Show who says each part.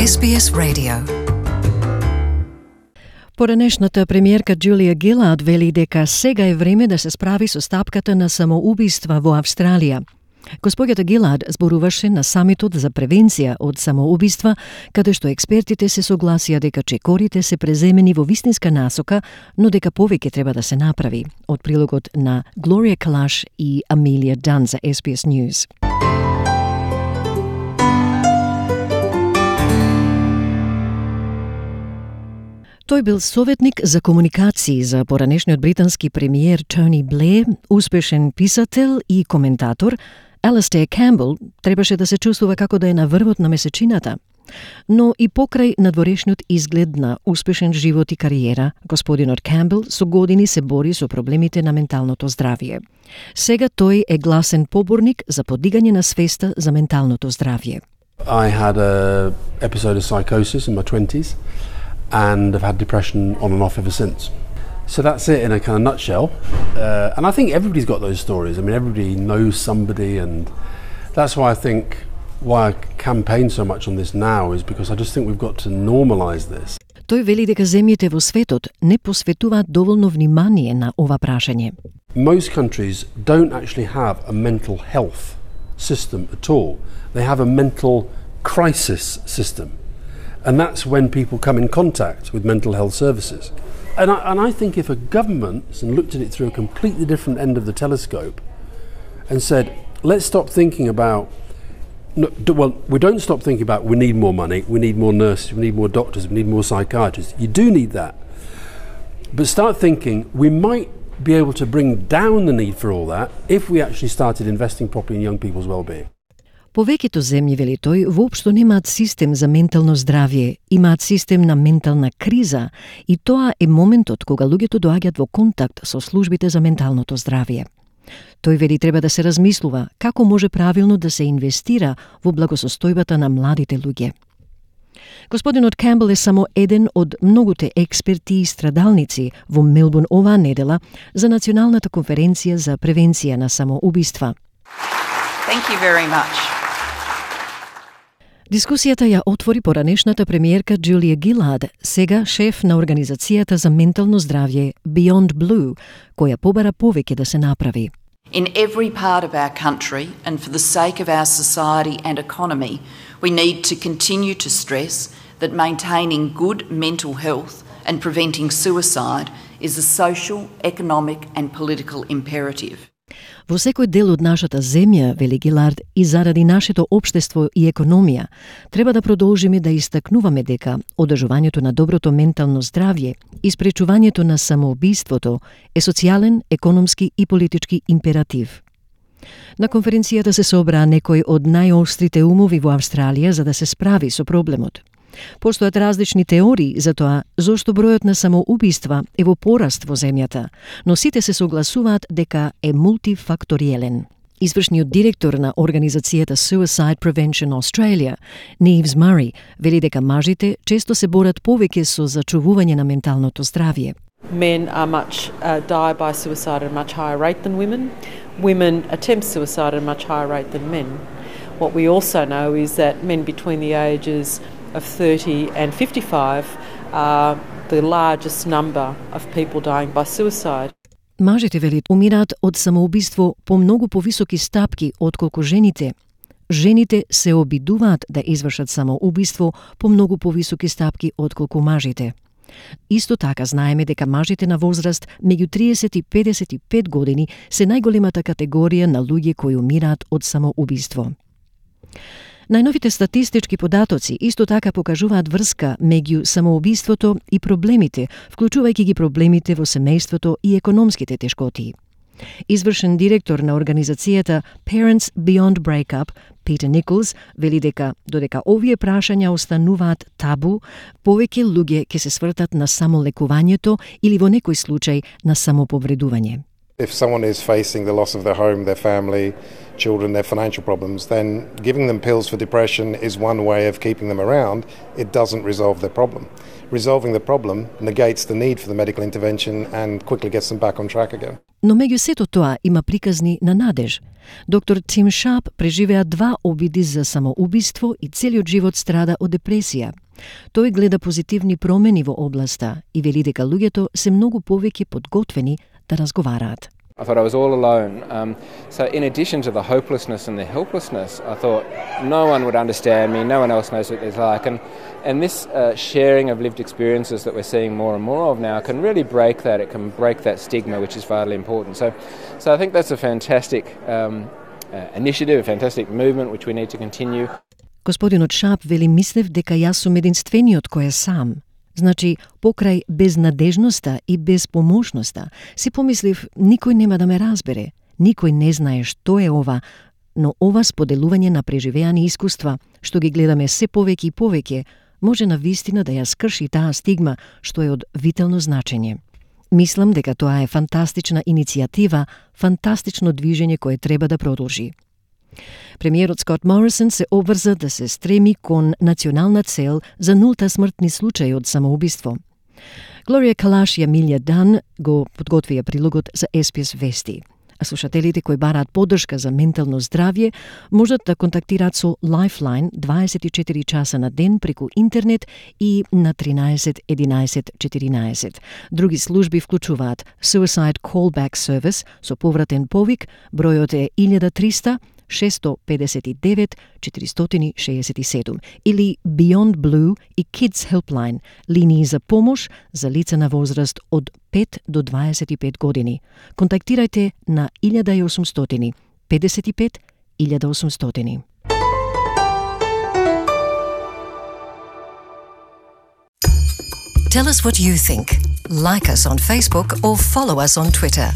Speaker 1: SBS Radio.
Speaker 2: Поранешната премиерка Джулија Гилард вели дека сега е време да се справи со стапката на самоубиства во Австралија. Господјата Гилард зборуваше на самитот за превенција од самоубиства, каде што експертите се согласија дека чекорите се преземени во вистинска насока, но дека повеќе треба да се направи. Од прилогот на Глорија Калаш и Амелија Дан за SBS News. Тој бил советник за комуникации за поранешниот британски премиер Тони Блеер, успешен писател и коментатор. Алистер Камбел требаше да се чувствува како да е на врвот на месечината. Но и покрај надворешниот изглед на успешен живот и кариера, господинот Камбел со години се бори со проблемите на менталното здравје. Сега тој е гласен поборник за подигање на свеста за менталното здравје.
Speaker 3: I had an episode of psychosis in my 20s and I've had depression on and off ever since. So that's it in a kind of nutshell. And I think everybody's got those stories. I mean, everybody knows somebody, and that's why I think why I campaign so much on this now is because I just think we've got to normalise this.
Speaker 2: Тој вели дека земјите во светот не посветуваат доволно внимание на ова прашање.
Speaker 3: Most countries don't actually have a mental health system at all. They have a mental crisis system. And that's when people come in contact with mental health services. And I think if a government looked at it through a completely different end of the telescope and said, let's stop thinking about, we don't stop thinking about we need more money, we need more nurses, we need more doctors, we need more psychiatrists. You do need that. But start thinking we might be able to bring down the need for all that if we actually started investing properly in young people's well-being.
Speaker 2: Повеќето земји, вели тој, воопшто немаат систем за ментално здравје, имаат систем на ментална криза и тоа е моментот кога луѓето доаѓаат во контакт со службите за менталното здравје. Тој вели треба да се размислува како може правилно да се инвестира во благосостојбата на младите луѓе. Господинот Камбел е само еден од многуте експерти и страдалници во Мелбурн оваа недела за Националната конференција за превенција на самоубиства.
Speaker 4: Thank you very much.
Speaker 2: Дискусијата ја отвори поранешната премиерка Джулија Гилард, сега шеф на Организацијата за ментално здравје Beyond Blue, која побара повеќе да се направи.
Speaker 4: In every part of our country and for the sake of our society and economy, we need to continue to stress that maintaining good mental health and preventing suicide is a social, economic and political imperative.
Speaker 2: Во секој дел од нашата земја, вели Гилард, и заради нашето општество и економија, треба да продолжиме да истакнуваме дека одржувањето на доброто ментално здравје и спречувањето на самоубиството е социјален, економски и политички императив. На конференцијата се собраа некои од најострите умови во Австралија за да се справи со проблемот. Постојат различни теории за тоа зошто бројот на самоубиства е во пораст во земјата, но сите се согласуваат дека е мултифакториелен. Извршниот директор на организацијата Suicide Prevention Australia, Neves Murray, вели дека мажите често се борат повеќе со зачувување на менталното здравје.
Speaker 5: Men die by suicide at a much higher rate than women. Women attempt suicide at a much higher rate than men. What we also know is that men between the ages of 30 and 55 are the largest number of people dying by suicide.
Speaker 2: Мажите, вели, умираат од самоубиство по многу повисоки стапки отколку жените. Жените се обидуваат да извршат самоубиство по многу повисоки стапки отколку мажите. Исто така знаеме дека мажите на возраст меѓу 30 и 55 години се најголемата категорија на луѓе кои умираат од самоубиство. Најновите статистички податоци исто така покажуваат врска меѓу самоубиството и проблемите, вклучувајќи ги проблемите во семејството и економските тешкоти. Извршен директор на организацијата Parents Beyond Breakup, Peter Nichols, вели дека додека овие прашања остануваат табу, повеќе луѓе ќе се свртат на самолекувањето или во некој случај на самоповредување.
Speaker 1: If someone is facing the loss of their home, their family, children, their financial problems, then giving them pills for depression is one way of keeping them around. It doesn't resolve their problem. Resolving the problem negates the need for the medical intervention and quickly gets them back on track again.
Speaker 2: Но меѓу сето тоа има приказни на надеж. Доктор Тим Шарп преживеа 2 обиди за самоубиство и целиот живот страда од депресија. Тој гледа позитивни промени во областа и вели дека луѓето се многу повеќе подготвени да разговараат.
Speaker 6: I thought I was all alone. So in addition to the hopelessness and the helplessness, I thought no one would understand me, no one else knows what it's like. And this sharing of lived experiences that we're seeing more and more of now can really break that. It can break that stigma, which is vitally important. So I think that's a fantastic initiative, a fantastic movement, which we need to continue.
Speaker 2: Господинот Шап вели, мислев дека јас сум единствениот кој е сам. Значи, покрај безнадежноста и безпомошноста, си помислив, никој нема да ме разбере, никој не знае што е ова, но ова споделување на преживеани искуства, што ги гледаме се повеќе и повеќе, може навистина да ја скрши таа стигма, што е од витално значење. Мислам дека тоа е фантастична иницијатива, фантастично движење кое треба да продолжи. Премиерот Скот Морисон се обврза да се стреми кон национална цел за нулта смртни случаи од самоубиство. Глорија Калаш и Амилија Дан го подготвија прилогот за SPS Вести. А слушателите кои бараат поддршка за ментално здравје можат да контактираат со Lifeline 24 часа на ден преку интернет и на 13 11 14. Други служби вклучуваат Suicide Callback Service со повратен повик, бројот е 1300 659 467 или Beyond Blue и Kids Helpline, линии за помош за лица на возраст од 5 до 25 години. Контактирајте на 1800 55 1800.
Speaker 7: Tell us what you think. Like us on Facebook or follow us on Twitter.